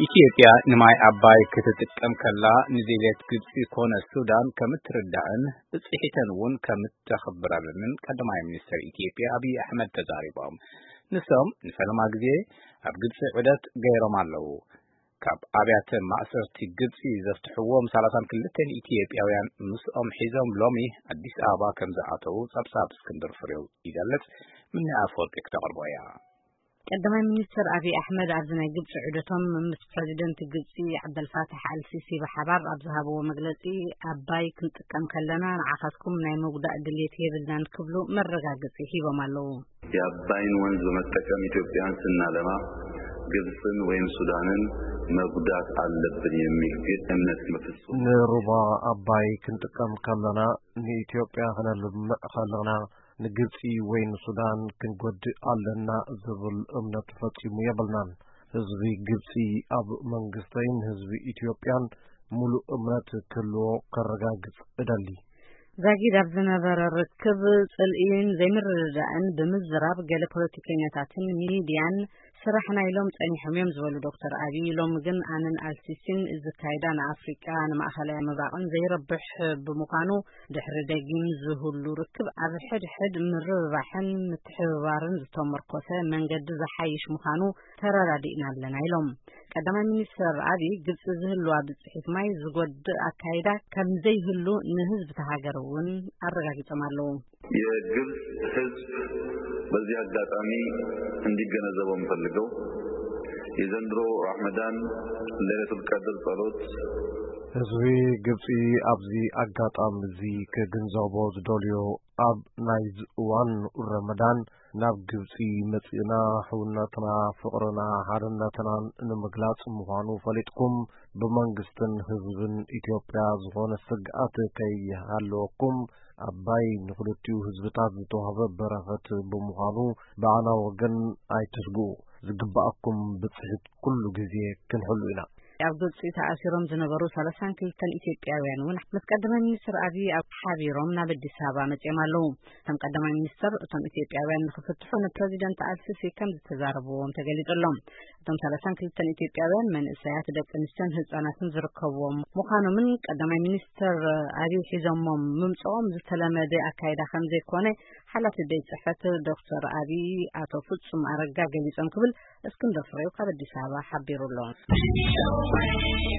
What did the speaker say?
ኢትዮጵያ ንማይ ኣባይ ክትጥቀም ከላ ንዜግት ግብፂ ኮነ ሱዳን ከም እትርዳእን ብፅሒተን እውን ከም እተኽብረልንን ቀዳማይ ሚኒስትር ኢትዮጵያ ኣብይ ኣሕመድ ተዛሪቦም። ንሶም ንፈለማ ግዜ ኣብ ግብፂ ዑደት ገይሮም ኣለዉ። ካብ ኣብያተ ማእሰርቲ ግብፂ ዘፍትሕዎም ሰላሳን ክልተን ኢትዮጵያውያን ምስኦም ሒዞም ሎሚ ኣዲስ ኣበባ ከም ዝኣተዉ ጸብጻብ እስክንድር ፍሬው ይገልጽ። ምንያ ኣፈወርቂ ክተቕርቦ እያ። ቀዳማይ ሚኒስትር ኣብይ ኣሕመድ ኣብዚ ናይ ግብፂ ዑደቶም ምስ ፕረዚደንት ግብፂ ዓብደልፋታሕ ኣልሲሲ ብሓባር ኣብ ዝሃብዎ መግለፂ፣ ኣባይ ክንጥቀም ከለና ንዓኻትኩም ናይ ምጉዳእ ድሌት የብልናን ክብሉ መረጋገፂ ሂቦም ኣለዉ። የአባይን ወንዝ በመጠቀም ኢትዮጵያን ስናለማ ግብፅን ወይም ሱዳንን መጉዳት አለብን የሚል ግን እምነት በፍጹም ንሩባ ኣባይ ክንጥቀም ከለና ንኢትዮጵያ ክነልምዕ ከለና ንግብፂ ወይ ንሱዳን ክንጎድእ ኣለና ዝብል እምነት ፈጺሙ የብልናን። ህዝቢ ግብፂ ኣብ መንግስተይን ህዝቢ ኢትዮጵያን ሙሉእ እምነት ክህልዎ ከረጋግፅ እደሊ። ዛጊድ ኣብ ዝነበረ ርክብ ጽልኢን ዘይምርድዳእን ብምዝራብ ገለ ፖለቲከኛታትን ሚድያን ስራሕና ኢሎም ጸኒሖም እዮም ዝበሉ ዶክተር ኣብይ፣ ሎሚ ግን ኣነን ኣልሲሲን እዚ ካይዳ ንኣፍሪቃ ንማእኸላይ ምብራቕን ዘይረብሕ ብምዃኑ ድሕሪ ደጊም ዝህሉ ርክብ ኣብ ሕድሕድ ምርብባሕን ምትሕብባርን ዝተመርኮሰ መንገዲ ዝሓይሽ ምዃኑ ተረዳዲእና ኣለና ኢሎም። ቀዳማይ ሚኒስትር ኣብይ ግብፂ ዝህልዋ ብፅሒት ማይ ዝጎድእ ኣካይዳ ከም ዘይህሉ ንህዝቢ ተሃገር እውን ኣረጋጊጾም ኣለዉ። የግብፅ ህዝብ በዚህ አጋጣሚ እንዲገነዘበው የምፈልገው የዘንድሮ ራመዳን ለይለቱል ቀድር ጸሎት ህዝቢ ግብፂ ኣብዚ ኣጋጣሚ እዚ ክግንዘቦ ዝደልዮ ኣብ ናይዚ እዋን ረመዳን ናብ ግብፂ መፂእና ሕውነትና፣ ፍቕርና፣ ሓድነትናን ንምግላፅ ምዃኑ ፈሊጥኩም ብመንግስትን ህዝብን ኢትዮጵያ ዝኾነ ስግኣት ከይሃለወኩም ኣባይ ንክልቲኡ ህዝብታት ዝተዋህበ በረኸት ብምዃኑ ብኣና ወገን ኣይትስግኡ። ዝግባኣኩም ብፅሒት ኩሉ ግዜ ክንሕሉ ኢና። ኣብ ግብፂ ተኣሲሮም ዝነበሩ ሰላሳን ክልተን ኢትዮጵያውያን እውን ምስ ቀዳማይ ሚኒስትር ኣብይ ኣብ ሓቢሮም ናብ ኣዲስ ኣበባ መፂኦም ኣለዉ። እቶም ቀዳማይ ሚኒስትር እቶም ኢትዮጵያውያን ንክፍትሑ ንፕረዚደንት ኣልሲሲ ከም ዝተዛረብዎም ተገሊፁ ኣሎ። እቶም ሰላሳን ክልተን ኢትዮጵያውያን መንእሰያት፣ ደቂ ኣንስትዮን ህፃናትን ዝርከብዎም ምዃኖምን ቀዳማይ ሚኒስትር ኣብይ ሒዞሞም ምምፅኦም ዝተለመደ ኣካይዳ ከም ዘይኮነ ሓላፊ ቤት ፅሕፈት ዶክተር ኣብይ ኣቶ ፍፁም ኣረጋ ገሊፆም ክብል እስክንድር ፍሬው ካብ ኣዲስ ኣበባ ሓቢሩ ኣሎ።